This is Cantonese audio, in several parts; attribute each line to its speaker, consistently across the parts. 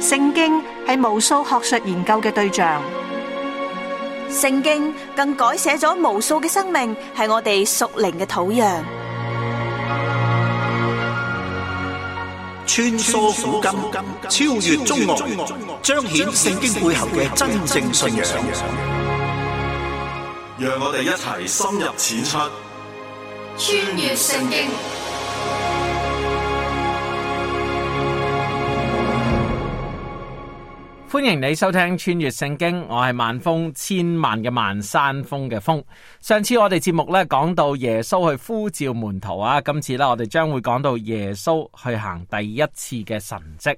Speaker 1: 聖經係無數學術研究嘅對象，
Speaker 2: 聖經更改寫咗無數嘅生命，係我哋屬靈嘅土壤。
Speaker 3: 穿梭古今，超越中外，彰顯聖經背後嘅真正信仰。
Speaker 4: 讓我哋一齊深入淺出，
Speaker 5: 穿越聖經。
Speaker 6: 歡迎你收聽穿越聖經，我係萬峰，千萬嘅萬，山峰嘅峰。上次我哋節目咧講到耶穌去呼召門徒啊，今次咧我哋將會講到耶穌去行第一次嘅神蹟。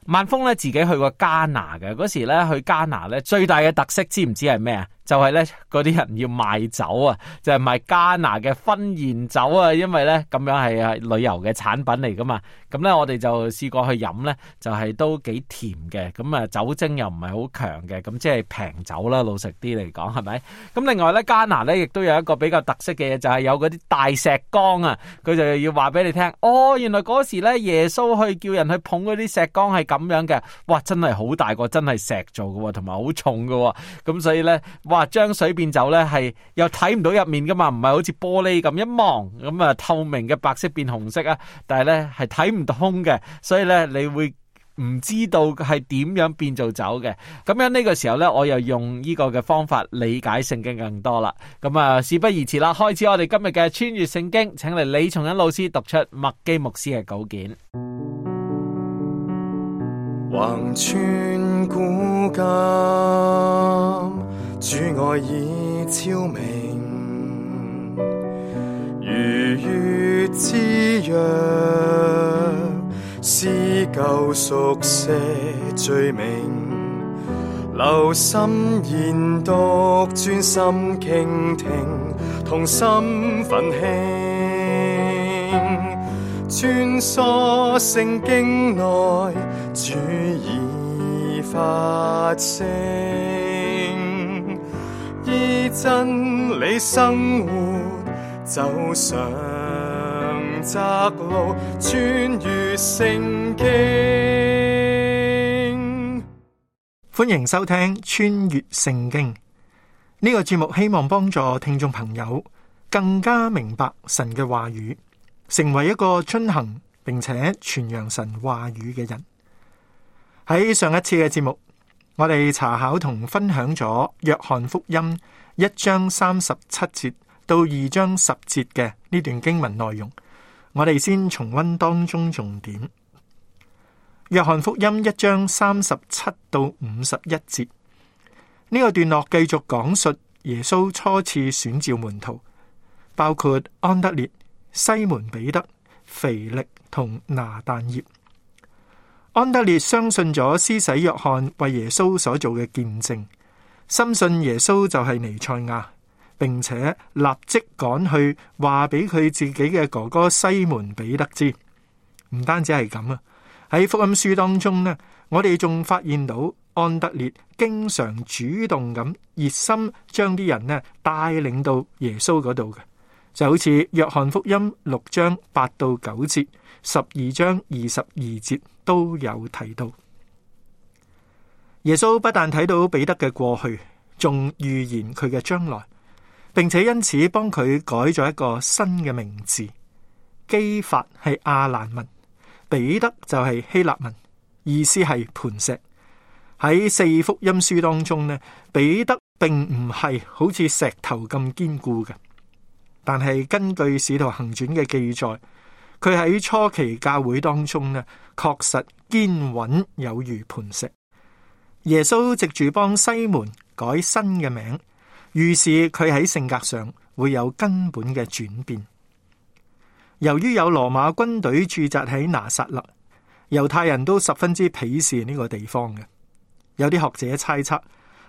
Speaker 6: 萬峰咧自己去過迦拿嘅，嗰時咧去迦拿咧最大嘅特色知唔知係咩啊？就係咧嗰啲人要賣酒啊，就係賣迦拿嘅婚宴酒啊，因為咧咁樣係旅遊嘅產品嚟噶嘛。咁咧我哋就試過去飲咧，就係都幾甜嘅，咁啊酒精又唔係好強嘅，咁即係平酒啦，老實啲嚟講係咪？咁另外咧迦拿咧亦都有一個比較特色嘅嘢，就係有嗰啲大石缸啊，佢就要話俾你聽，哦原來嗰時咧耶穌去叫人去捧嗰啲石缸係咁樣嘅，哇真係好大個，真係石做嘅，同埋好重嘅，咁所以咧哇將水變酒咧係又睇唔到入面噶嘛，唔係好似玻璃咁一望咁啊透明嘅白色變紅色啊，但係咧係睇唔到嘅，所以咧你會唔知道係點樣變做酒嘅。咁樣呢個時候咧，我又用呢個嘅方法理解聖經更多啦。咁啊事不宜遲啦，開始我哋今日嘅穿越聖經，請嚟李松恩老師讀出麥基牧師嘅稿件。
Speaker 7: 橫穿古今，主愛已超明，如月之約，施救贖赦罪名，留心研讀，專心傾聽，同心奮興，穿梭聖經內，主已發聲，依真理生活，走上窄路，穿越聖經。
Speaker 8: 歡迎收聽穿越聖經呢個節目，希望幫助聽眾朋友更加明白神嘅話語，成為一個遵行並且傳揚神話語嘅人。喺上一次嘅節目，我哋查考同分享咗約翰福音1章37節到2章10節嘅呢段經文內容，我哋先重溫當中重點。約翰福音1章37到51節呢個段落繼續講述耶穌初次選召門徒，包括安德烈、西門彼得、腓力同拿但業。安德烈相信咗施洗約翰為耶穌所做嘅見證，深信耶穌就係彌賽亞，並且立即趕去話俾佢自己嘅哥哥西門彼得知。唔單止係咁啊，喺福音書當中呢，我哋仲發現到安德烈經常主動咁熱心將啲人呢帶領到耶穌嗰度嘅，就好似約翰福音6章8到9節、12章22節都有提到。耶穌不但睇到彼得嘅過去，仲預言佢嘅將來，並且因此幫佢改咗一個新嘅名字。基法係亞蘭文，彼得就係希臘文，意思係磐石。喺4福音書當中呢，彼得並唔係好似石頭咁堅固嘅，但係根據使徒行傳嘅記載，佢喺初期教會當中呢，確實堅穩有如磐石。耶穌藉住幫西門改新嘅名，預示佢喺性格上會有根本嘅轉變。由於有羅馬軍隊駐紮喺拿撒勒，猶太人都十分之鄙視呢個地方嘅。有啲學者猜測，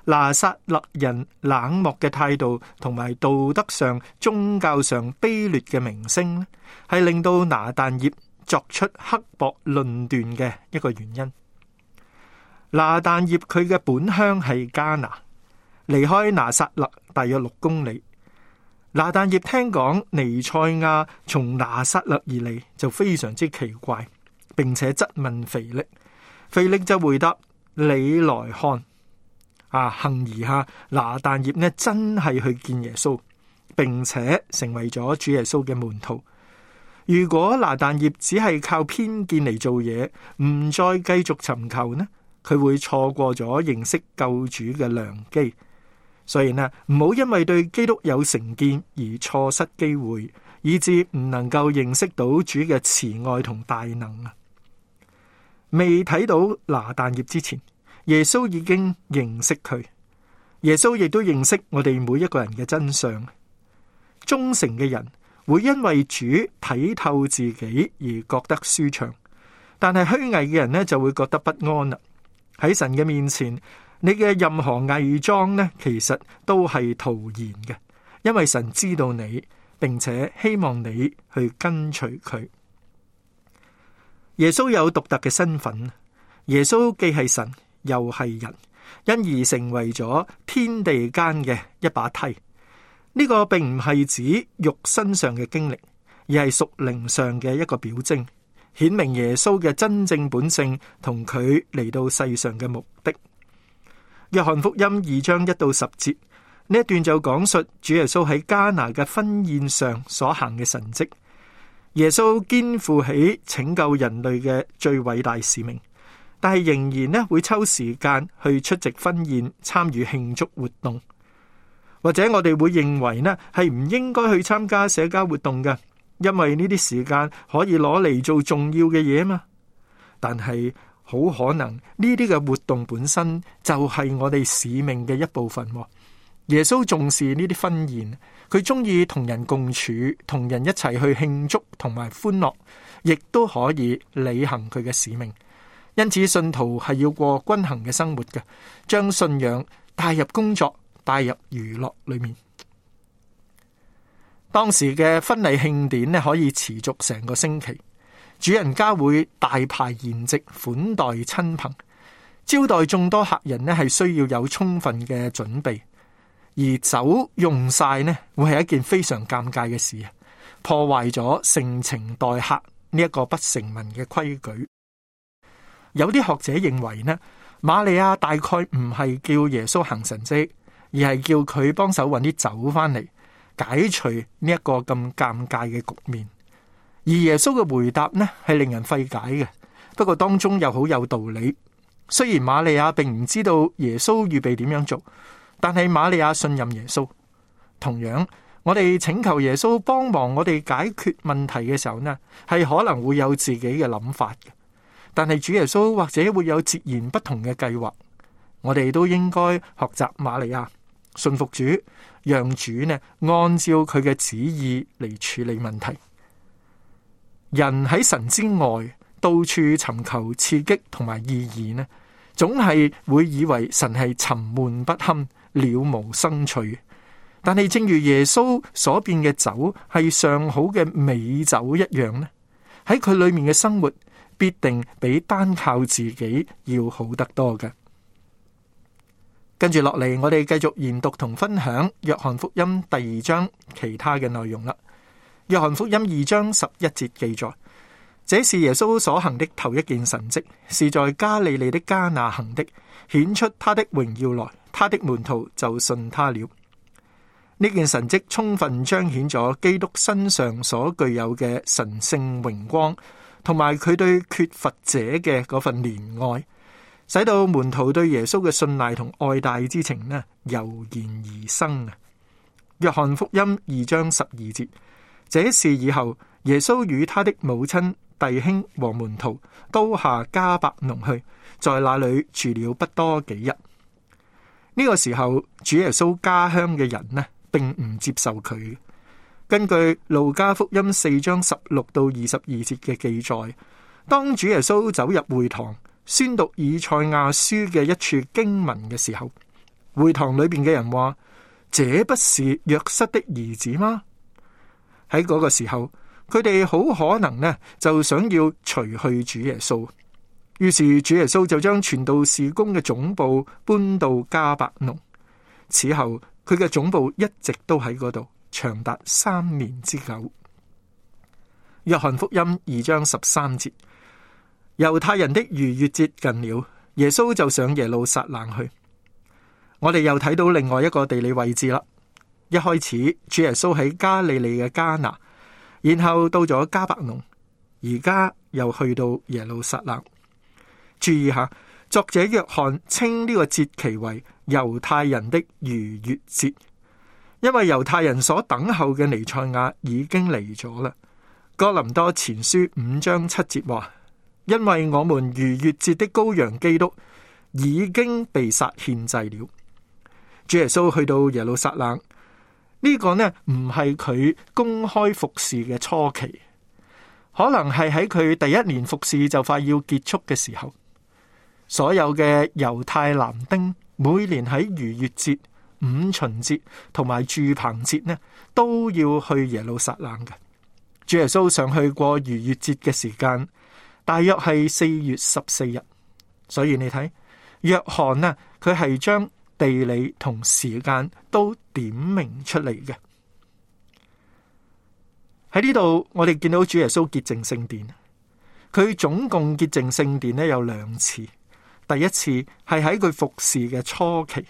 Speaker 8: 拿撒勒人冷漠嘅態度同埋道德上、宗教上卑劣嘅名聲，係令到拿但業作出刻薄論斷嘅一個原因。拿但業佢嘅本鄉係迦拿，離開拿撒勒大約6公里。拿但業聽講彌賽亞從拿撒勒而嚟，就非常之奇怪，並且質問腓力，腓力就回答：你來看。幸而下，拿但業呢真係去見耶穌，並且成為咗主耶穌嘅門徒。如果拿但業只係靠偏見嚟做嘢，唔再繼續尋求呢，佢會錯過咗認識救主嘅良機。所以呢，唔好因為對基督有成見而錯失機會，以致唔能夠認識到主嘅慈愛同大能啊！未睇到拿但業之前，耶穌已經認識佢。耶穌亦都認識我哋每一個人嘅真相。忠誠嘅人會因為主睇透自己而覺得舒暢，但係虛偽嘅人呢就會覺得不安啦。喺神嘅面前，你嘅任何偽裝呢，其實都係徒然嘅，因為神知道你，並且希望你去跟隨佢。耶穌有獨特嘅身份，耶穌既係神又係人，因而成為咗天地間嘅一把梯。呢個並唔係指肉身上嘅經歷，而係屬靈上嘅一個表徵，顯明耶穌嘅真正本性同佢嚟到世上嘅目的。約翰福音2章1到10節，呢一段就講述主耶穌喺迦拿嘅婚宴上所行嘅神蹟。耶穌肩負起拯救人類嘅最偉大使命，但係仍然呢會抽時間去出席婚宴，參與慶祝活動。或者我哋會認為呢係唔應該去參加社交活動嘅，因為呢啲時間可以攞嚟做重要嘅嘢嘛。但係好可能呢啲嘅活動本身就係我哋使命嘅一部分。耶穌重視呢啲婚宴，佢中意同人共處，同人一齊去慶祝同埋歡樂，亦都可以履行佢嘅使命。因此信徒係要過均衡嘅生活嘅，將信仰帶入工作，帶入娛樂裏面。當時嘅婚禮慶典呢，可以持續成個星期，主人家會大排筵席款待親朋，招待眾多客人呢，係需要有充分嘅準備，而酒用晒呢，會係一件非常尷尬嘅事，破壞咗盛情待客呢一個不成文嘅規矩。有啲學者認為呢，瑪利亞大概唔係叫耶穌行神蹟，而係叫佢幫手搵啲酒翻嚟，解除呢一個咁尷尬嘅局面。而耶穌嘅回答呢係令人費解嘅，不過當中又好有道理。雖然瑪利亞並唔知道耶穌預備點樣做，但係瑪利亞信任耶穌。同樣，我哋請求耶穌幫忙我哋解決問題嘅時候呢，係可能會有自己嘅諗法嘅。但係主耶穌或者會有截然不同嘅計劃，我哋都應該學習瑪利亞，信服主，讓主呢按照佢嘅旨意嚟處理問題。人喺神之外，到處尋求刺激同埋意義呢，總係會以為神係沉悶不堪、了無生趣。但係正如耶穌所變嘅酒係上好嘅美酒一樣呢，喺佢裏面嘅生活必定比單靠自己要好得多嘅。跟住落嚟，我哋繼續研讀同分享約翰福音第2章其他嘅內容啦。約翰福音2章11節記載，這是耶穌所行的頭一件神蹟，是在加利利的迦拿行的，顯出他的榮耀來，他的門徒就信他了。呢件神蹟充分彰顯咗基督身上所具有嘅神聖榮光，同埋佢對缺乏者嘅嗰份憐愛，使到門徒對耶穌嘅信賴同愛戴之情呢油然而生啊！約翰福音2章12節，這事以後，耶穌與他的母親、弟兄和門徒都下迦百農去，在那裏住了不多幾日。呢個時候，主耶穌家鄉嘅人呢，並唔接受佢。根據路加福音4章16到22節嘅記載，當主耶穌走入會堂宣讀以賽亞書嘅一處經文嘅時候，會堂裏邊嘅人話：這不是約瑟的兒子嗎？喺嗰個時候，佢哋好可能呢就想要除去主耶穌，於是主耶穌就將傳道事工嘅總部搬到迦百農。此後佢嘅總部一直都喺嗰度，長達3年之久。約翰福音2章13節，猶太人的逾越節近了，耶穌就上耶路撒冷去。我哋又睇到另外一個地理位置啦。一開始主耶穌喺加利利嘅迦拿，然後到咗迦百農，而家又去到耶路撒冷。注意下，作者約翰稱呢個節期為猶太人的逾越節，因為猶太人所等候嘅彌賽亞已經嚟咗啦。哥林多前書5章7節話，因為我們逾越節的羔羊基督已經被殺獻祭了。主耶穌去到耶路撒冷，呢個呢唔係佢公開服侍嘅初期，可能係喺佢第一年服侍就快要結束嘅時候。所有嘅猶太男丁每年喺逾越節、五旬節同埋住棚節呢，都要去耶路撒冷嘅。主耶穌上去過逾越節嘅時間大約係4月14日，所以你睇約翰呢，佢係將地理同時間都點明出嚟嘅。喺呢度我哋見到主耶穌潔淨聖殿，佢總共潔淨聖殿呢有2次，第一次係喺佢服侍嘅初期，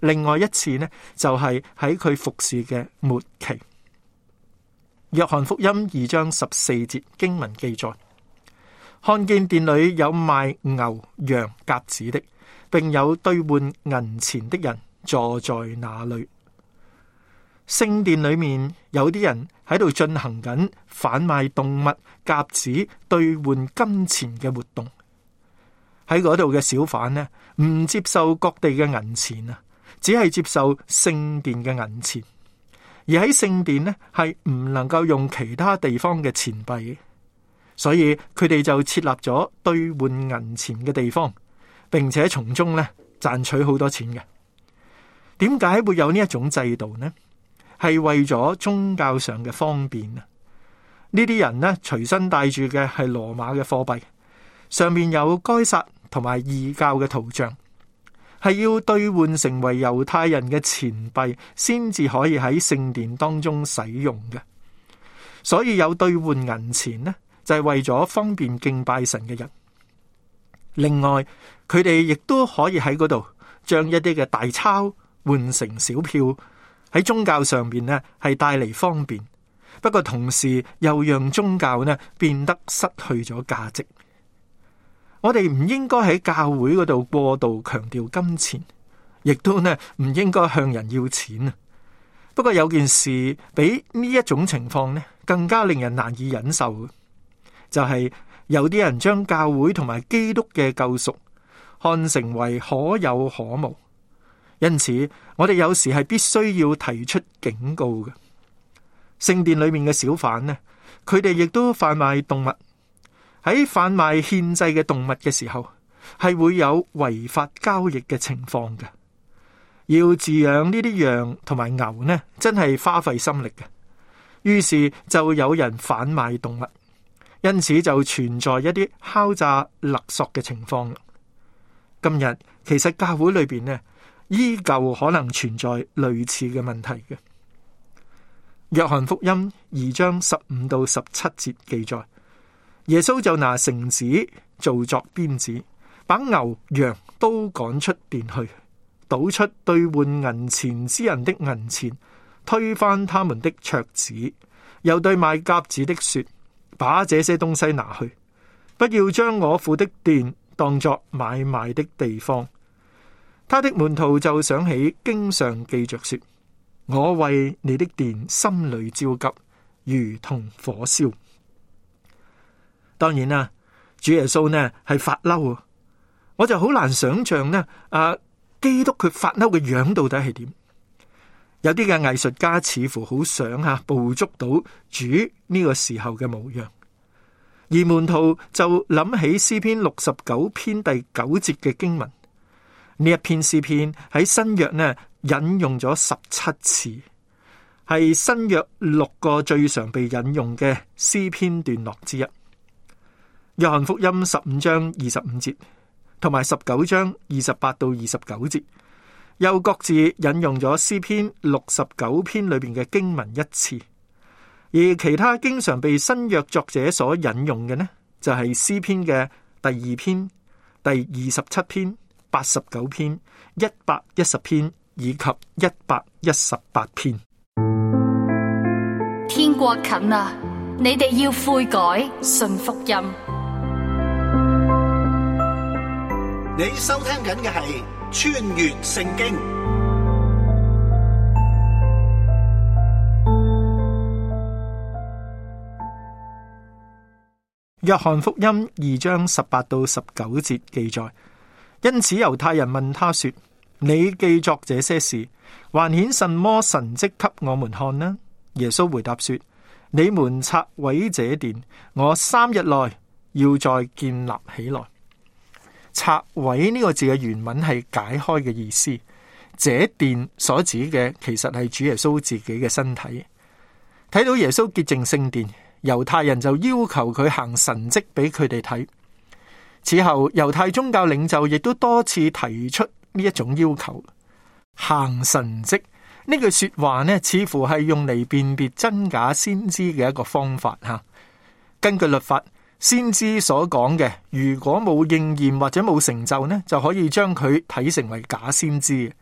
Speaker 8: 另外一次呢就係喺佢服侍嘅末期。約翰福音2章14節經文記載，看見殿裏有賣牛羊鴿子的，並有兌換銀錢的人坐在那裏。聖殿裏面有啲人喺度進行緊販賣動物鴿子兌換金錢嘅活動。喺嗰度嘅小販呢，唔接受各地嘅銀錢啊，只係接受聖殿嘅銀錢。而喺聖殿呢，係唔能夠用其他地方嘅錢幣，所以佢哋就設立咗兌換銀錢嘅地方，並且從中呢賺取好多錢嘅。點解會有呢一種制度呢？係為咗宗教上嘅方便啊！呢啲人呢隨身帶住嘅係羅馬嘅貨幣，上面有該撒同埋異教嘅圖像，係要兌換成為猶太人嘅錢幣，先至可以喺聖殿當中使用嘅。所以有兌換銀錢呢，就係為咗方便敬拜神嘅人。另外，佢哋亦都可以喺嗰度將一啲嘅大鈔換成小票，喺宗教上邊呢係帶嚟方便。不過同時又讓宗教呢變得失去咗價值。我哋唔應該喺教會嗰度過度強調金錢，亦都呢唔應該向人要錢啊。不過有件事比呢一種情況呢更加令人難以忍受嘅，就係有啲人將教會同埋基督嘅救贖看成為可有可無。因此我哋有時係必須要提出警告嘅。聖殿裏面嘅小販呢，佢哋亦都販賣動物。喺販賣獻祭嘅動物嘅時候，係會有違法交易嘅情況嘅。要飼養呢啲羊同埋牛呢，真係花費心力嘅。於是就有人販賣動物，因此就存在一啲敲詐勒索嘅情況。今日其實教會裏邊呢，依舊可能存在類似嘅問題嘅。約翰福音2章15到17節記載，耶穌就拿繩子做作鞭子，把牛羊都趕出殿去，倒出兌換銀錢之人的銀錢，推翻他們的桌子，又對賣鴿子的說：把這些東西拿去，不要將我父的殿當作買賣的地方。他的門徒就想起經上記着說：我為你的殿心裏焦急，如同火燒。當然啦，主耶穌呢係發嬲，我就好難想象呢基督佢發嬲嘅樣到底係點？有啲嘅藝術家似乎好想捕捉到主呢個時候嘅模樣，而門徒就諗起詩篇69篇第9節嘅經文。呢一篇詩篇喺新約呢引用咗17次，係新約6個最常被引用嘅詩篇段落之一。約翰福音15章25節同埋19章28到29節，又各自引用咗詩篇69篇裏邊嘅經文1次，而其他經常被新約作者所引用嘅呢，就係詩篇嘅第2篇、第27篇、89篇、110篇以及118篇。
Speaker 5: 天國近啦，你哋要悔改，信福音。
Speaker 3: 你收聽緊嘅係穿越聖經。
Speaker 8: 約翰福音2章18到19節記載，因此猶太人問他說：你記作這些事，還顯什麼神蹟給我們看呢？耶穌回答說：你們拆毀這殿，我3日內要再建立起來。拆毀呢個字嘅原文係解開嘅意思，這殿所指嘅其實係主耶穌自己嘅身體。睇到耶穌潔淨聖殿，猶太人就要求佢行神蹟俾佢哋睇。此後猶太宗教領袖亦都多次提出呢一種要求。行神蹟呢句說話呢，似乎係用嚟辨別真假先知嘅一個方法吓。根據律法，先知所講嘅如果冇應驗或者冇成就呢，就可以將佢睇成為假先知。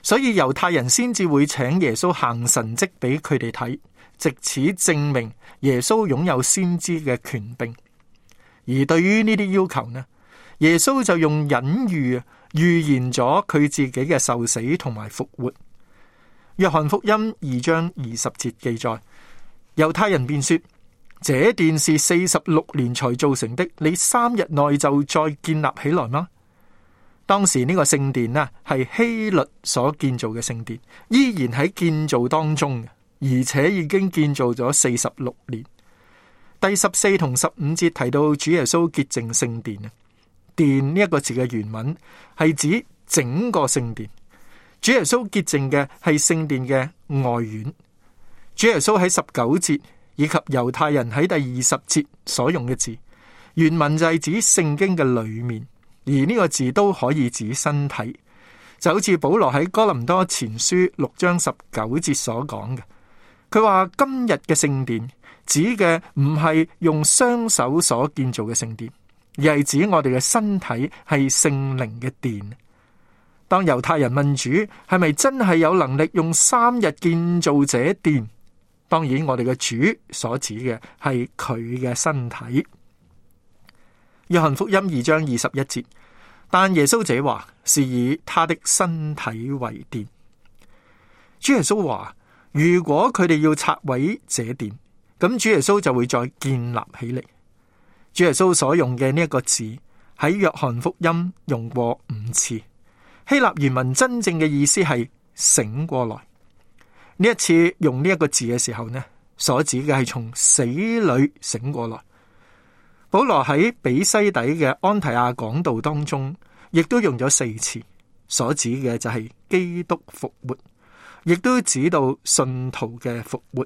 Speaker 8: 所以猶太人先至會請耶穌行神蹟俾佢哋睇，藉此證明耶穌擁有先知嘅權柄。而對於呢啲要求呢，耶穌就用隱喻預言咗佢自己嘅受死同埋復活。約翰福音2章20節記載，猶太人便說：這殿是46年才造成的，你3日內就再建立起來嗎？當時呢個聖殿係希律所建造嘅聖殿，依然喺建造當中，而且已經建造咗46年。第14同15節提到主耶穌潔淨聖殿。殿呢一個字嘅原文係指整個聖殿。主耶穌潔淨嘅係聖殿嘅外院。主耶穌喺19節以及猶太人喺第20節所用嘅字，原文就係指聖經嘅裏面，而呢個字都可以指身體，就好似保羅喺哥林多前書6章19節所講嘅。佢話今日嘅聖殿指嘅唔係用雙手所建造嘅聖殿，而係指我哋嘅身體係聖靈嘅殿。當猶太人問主係咪真係有能力用3日建造這殿，當然我哋嘅主所指嘅係佢嘅身體。約翰福音2章21節，但耶穌這話是以他的身體為殿。主耶穌話，如果佢哋要拆毀這殿，咁主耶穌就會再建立起嚟。主耶穌所用嘅呢一個字喺約翰福音用過5次。希臘原文真正嘅意思係醒過來。呢一次用呢一個字嘅時候呢，所指嘅係從死裏醒過來。保羅喺比西底嘅安提亞講道當中，亦都用咗4次，所指嘅就係基督復活，亦都指到信徒嘅復活。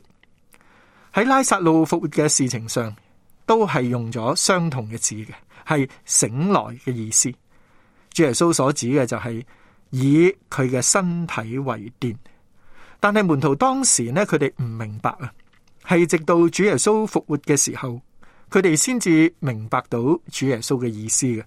Speaker 8: 喺拉撒路復活嘅事情上，都係用咗相同嘅字嘅，係醒來嘅意思。主耶穌所指嘅就係以佢嘅身體為殿，但係門徒當時呢，佢哋唔明白啊，係直到主耶穌復活嘅時候，佢哋先至明白到主耶穌嘅意思嘅。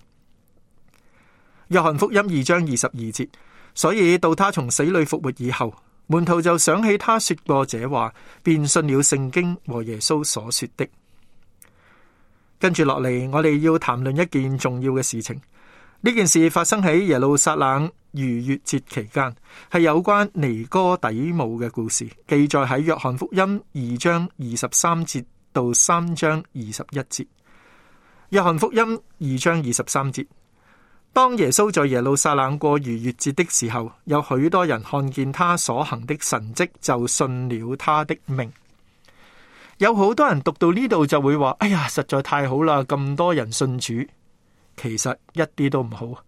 Speaker 8: 約翰福音2章22節，所以到他從死裏復活以後，門徒就想起他說過這話，便信了聖經和耶穌所說的。跟住落嚟，我哋要談論一件重要嘅事情。呢件事發生喺耶路撒冷逾越節期間，係有關尼哥底母嘅故事，記載喺約翰福音2章23節到3章21節。約翰福音2章23節，當耶穌在耶路撒冷過逾越節的時候，有許多人看見他所行的神蹟，就信了他的名。有好多人讀到呢度就會話：哎呀，實在太好啦，咁多人信主。其實一啲都唔好，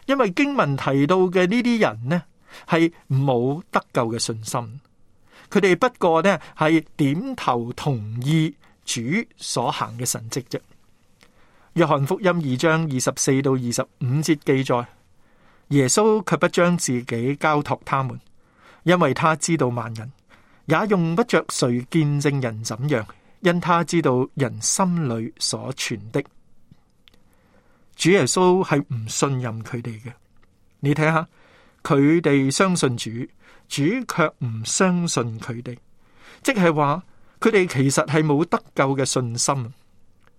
Speaker 8: 因為經文提到嘅呢啲人呢，係冇得救嘅信心，佢哋不過呢係點頭同意主所行嘅神蹟啫。約翰福音2章24到25節記載，耶穌卻不將自己交託他們，因為他知道萬人，也用不着誰見證人怎樣，因他知道人心裏所存的。主耶穌係唔信任佢哋嘅。你睇下，佢哋相信主，主卻唔相信佢哋，即係話佢哋其實係冇得救嘅信心。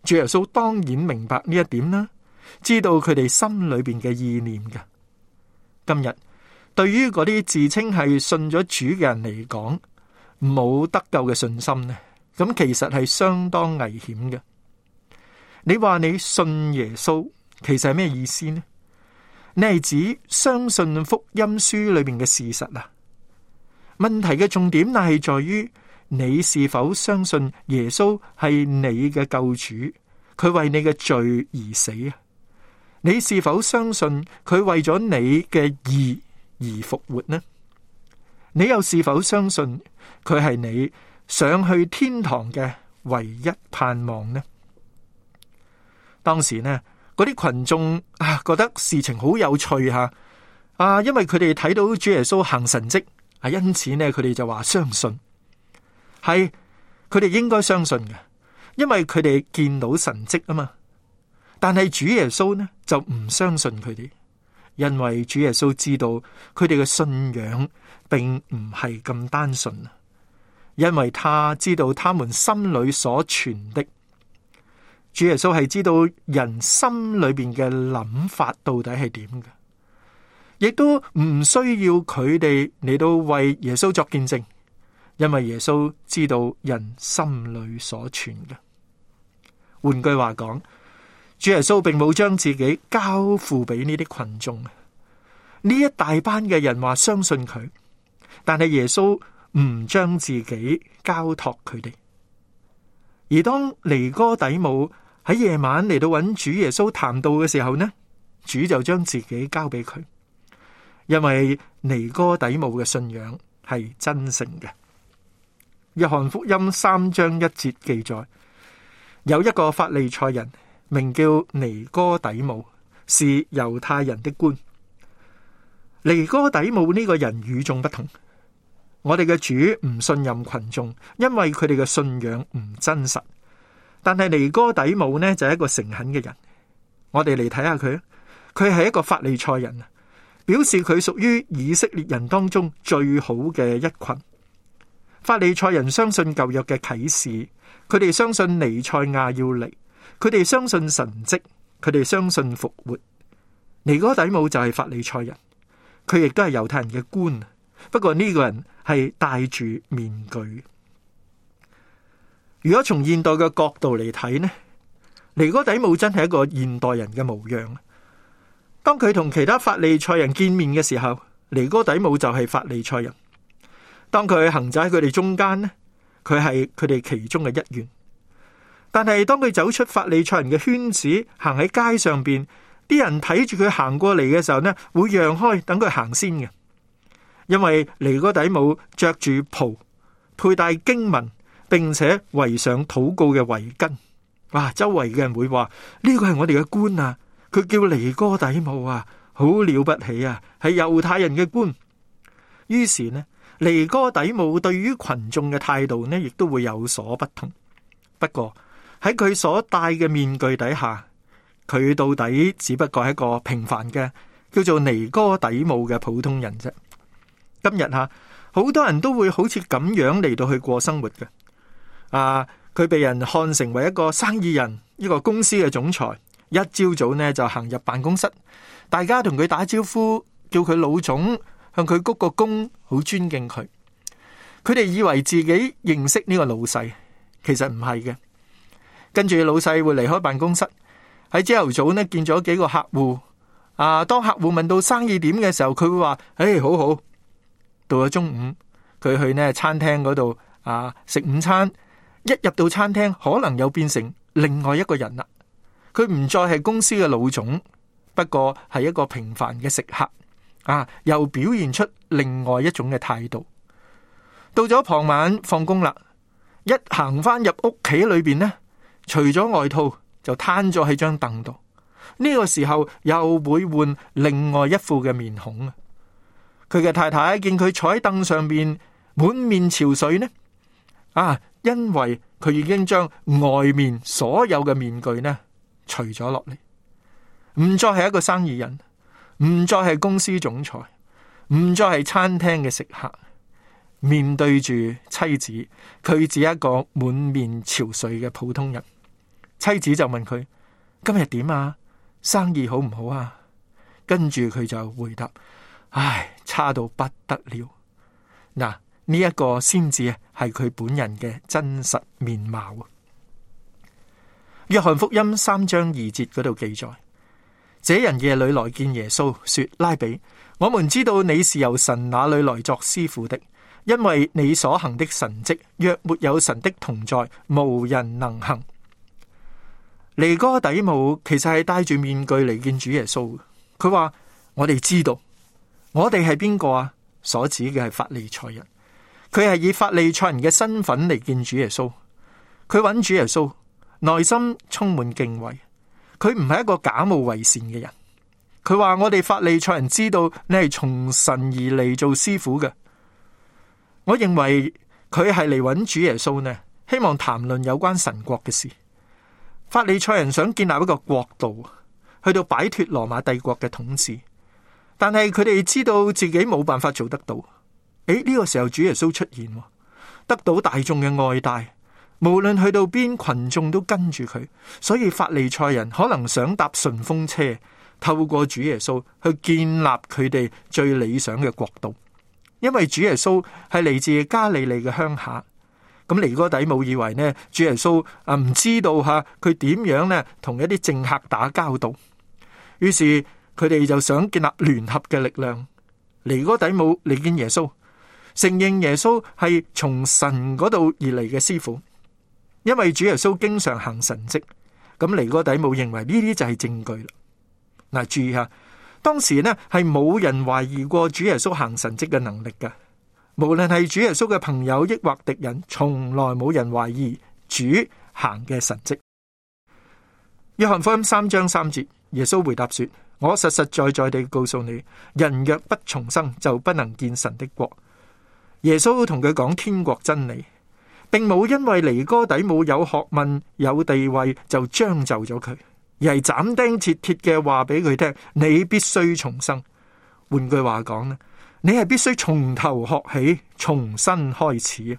Speaker 8: 主耶穌當然明白呢一點啦，知道佢哋心裏邊嘅意念嘅。今日對於嗰啲自稱係信咗主嘅人嚟講，冇得救嘅信心呢，咁其實係相當危險嘅。你話你信耶穌，其實係咩意思呢？你係指相信福音書裏面嘅事實啊？問題嘅重點乃係在於你是否相信耶穌係你嘅救主，佢為你嘅罪而死啊？你是否相信佢為咗你嘅義而復活呢？你又是否相信佢係你上去天堂嘅唯一盼望呢？當時呢，嗰啲群眾覺得事情好有趣吓，因為佢哋睇到主耶穌行神蹟，因此呢，佢哋就話相信，係佢哋應該相信嘅，因為佢哋見到神蹟啊嘛。但係主耶穌呢就唔相信佢哋，因為主耶穌知道佢哋嘅信仰並唔係咁單純，因為他知道他們心裏所存的。主耶穌係知道人心裏邊嘅諗法到底係點嘅，亦都唔需要佢哋嚟到為耶穌作見證，因為耶穌知道人心裏所存嘅。換句話講，主耶穌並冇將自己交付俾呢啲群眾。呢一大班嘅人話相信佢，但係耶穌唔將自己交託佢哋。而當尼哥底母喺夜晚嚟到揾主耶穌談道嘅時候呢，主就將自己交俾佢，因為尼哥底母嘅信仰係真誠嘅。約翰福音3章1節記載，有一個法利賽人名叫尼哥底母，是猶太人的官。尼哥底母呢個人與眾不同，我哋嘅主唔信任群眾，因為佢哋嘅信仰唔真實。但係尼哥底母呢就係一個誠懇嘅人，我哋嚟睇下佢，佢係一個法利賽人，表示佢屬於以色列人當中最好嘅一群。法利賽人相信舊約嘅啟示，佢哋相信彌賽亞要嚟，佢哋相信神蹟，佢哋相信復活。尼哥底母就係法利賽人，佢亦都係猶太人嘅官，不過呢個人係戴住面具。如果從現代嘅角度嚟睇呢，尼哥底母真係一個現代人嘅模樣。當佢同其他法利賽人見面嘅時候，尼哥底母就係法利賽人。當佢行走喺佢哋中間呢，佢係佢哋其中嘅一員。但係當佢走出法利賽人嘅圈子，行喺街上邊，啲人睇住佢行過嚟嘅時候呢，會讓開，等佢行先嘅。因為尼哥底母着住袍，佩戴經文，並且圍上禱告嘅圍巾。哇！周圍嘅人會話呢個係我哋嘅官啊，佢叫尼哥底母啊，好了不起啊，係猶太人嘅官。於是呢，尼哥底母對於群眾嘅態度呢，亦都會有所不同。不過喺佢所戴嘅面具底下，佢到底只不過係一個平凡嘅叫做尼哥底母嘅普通人啫。今日好多人都會好似咁樣嚟到去過生活嘅。佢被人看成為一個生意人，一個公司嘅總裁。一朝早呢就行入辦公室，大家同佢打招呼，叫佢老總，向佢鞠個躬，好尊敬佢。佢哋以為自己認識呢個老細，其實唔係嘅。跟住老細會離開辦公室，喺朝頭早呢見咗幾個客戶。當客戶問到生意點嘅時候，佢會話：好好。到咗中午，佢去呢餐廳嗰度食午餐。一入到餐廳，可能又變成另外一個人啦。佢唔再係公司嘅老總，不過係一個平凡嘅食客。又表現出另外一種嘅態度。到咗傍晚放工啦，一行翻入屋企裏邊呢，除咗外套就攤咗喺張凳度。呢個時候又會換另外一副嘅面孔。佢嘅太太見佢坐喺凳上邊滿面潮水呢，因為佢已經將外面所有嘅面具呢除咗落嚟。唔再係一個生意人，唔再係公司總裁，唔再係餐廳嘅食客。面對住妻子，佢只係一個滿面憔悴嘅普通人。妻子就問佢：今日點啊？生意好唔好啊？跟住佢就回答：唉，差到不得了。嗱，呢一個先至係佢本人嘅真實面貌。約翰福音3章2節嗰度記載：這人夜裏來見耶穌，說：拉比，我們知道你是由神那裏來作師傅的，因為你所行的神蹟，若沒有神的同在，無人能行。尼哥底母其實係戴住面具嚟見主耶穌。佢話：我哋知道，我哋係邊個啊？所指嘅係法利賽人。佢係以法利賽人嘅身份嚟見主耶穌。佢揾主耶穌，內心充滿敬畏。佢唔係一個假冒為善嘅人。佢話：我哋法利賽人知道你係從神而嚟做師傅嘅。我認為佢係嚟揾主耶穌呢，希望談論有關神國嘅事。法利賽人想建立一個國度，去到擺脫羅馬帝國嘅統治，但係佢哋知道自己冇辦法做得到。呢個時候主耶穌出現，得到大眾嘅愛戴，無論去到邊，群眾都跟住佢。所以法利賽人可能想搭順風車，透過主耶穌去建立佢哋最理想嘅國度。因為主耶穌係嚟自加利利嘅鄉下。咁尼哥底母以為呢，主耶穌唔知道佢點樣呢同一啲政客打交道，於是佢哋就想建立聯合嘅力量。尼哥底母嚟見耶穌，承認耶穌係從神嗰度而嚟嘅師傅，因為主耶穌經常行神蹟。咁尼哥底母認為呢啲就係證據啦。嗱，注意下，當時呢係冇人懷疑過主耶穌行神蹟嘅能力嘅。無論係主耶穌嘅朋友抑或敵人，從來冇人懷疑主行嘅神蹟。約翰福音3章3節，耶穌回答說：我實實在在地告訴你，人若不重生，就不能見神的國。耶穌同佢講天國真理，並冇因為尼哥底母有學問有地位就將就咗佢，而係斬釘截鐵嘅話俾佢聽：你必須重生。換句話講呢，你係必須從頭學起，重新開始。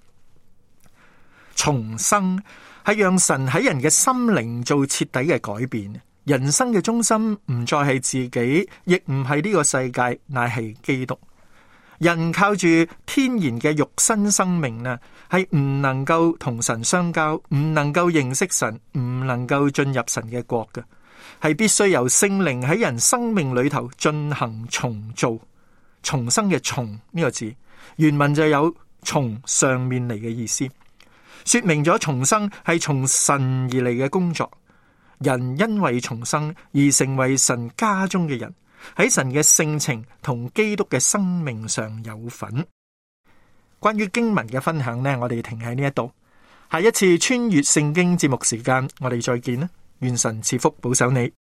Speaker 8: 重生係讓神喺人嘅心靈做徹底嘅改變。人生嘅中心唔再係自己，亦唔係呢個世界，乃係基督。人靠住天然嘅肉身生命呢，係唔能夠同神相交，唔能夠認識神，唔能夠進入神嘅國嘅，係必須由聖靈喺人生命裏頭進行重造。重生嘅重呢個字原文就有從上面嚟嘅意思，說明咗重生係從神而嚟嘅工作。人因為重生而成為神家中嘅人，喺神嘅性情同基督嘅生命上有份。關於經文嘅分享呢，我哋停喺呢一度。下一次穿越聖經節目時間，我哋再見啦！願神賜福保守你。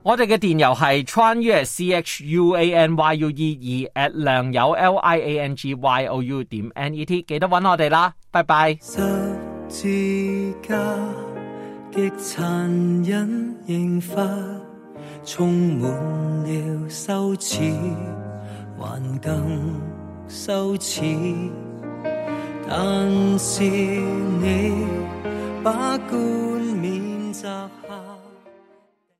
Speaker 6: 我哋嘅電郵係穿越 CHUANYUE@ 良友 LIANGYOU.net， 記得搵我哋啦，拜拜。
Speaker 9: 十字架極殘忍刑罰，充滿了羞恥，還更羞恥，但是你把冠冕摘下。